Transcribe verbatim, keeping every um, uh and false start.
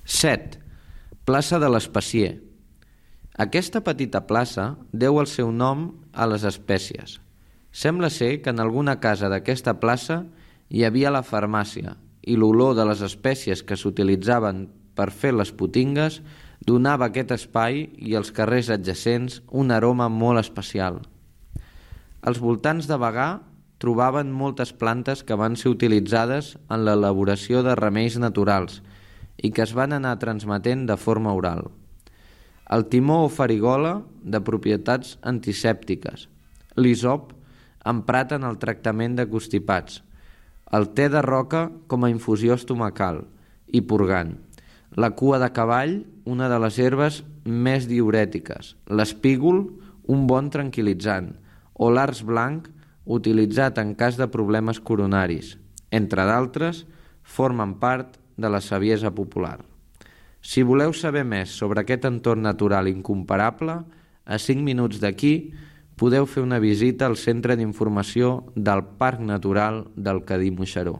set. Plaça de l'Espessier. Aquesta petita plaça deu el seu nom a les espècies. Sembla ser que en alguna casa d'aquesta plaça hi havia la farmàcia i l'olor de les espècies que s'utilitzaven per fer les potingues donava a aquest espai i als carrers adjacents un aroma molt especial. Als voltants de Bagà trobaven moltes plantes que van ser utilitzades en l'elaboració de remeis naturals i que es van anar transmetent de forma oral. El timó o farigola, de propietats antisèptiques, l'hisop, emprat en el tractament de constipats, el te de roca com a infusió estomacal i purgant, la cua de cavall, una de les herbes més diürètiques, l'espígol, un bon tranquil·litzant, o l'arç blanc, utilitzat en cas de problemes coronaris, entre d'altres, formen part de la saviesa popular. Si voleu saber més sobre aquest entorn natural incomparable, a cinc minuts d'aquí podeu fer una visita al Centre d'Informació del Parc Natural del Cadí-Moixeró.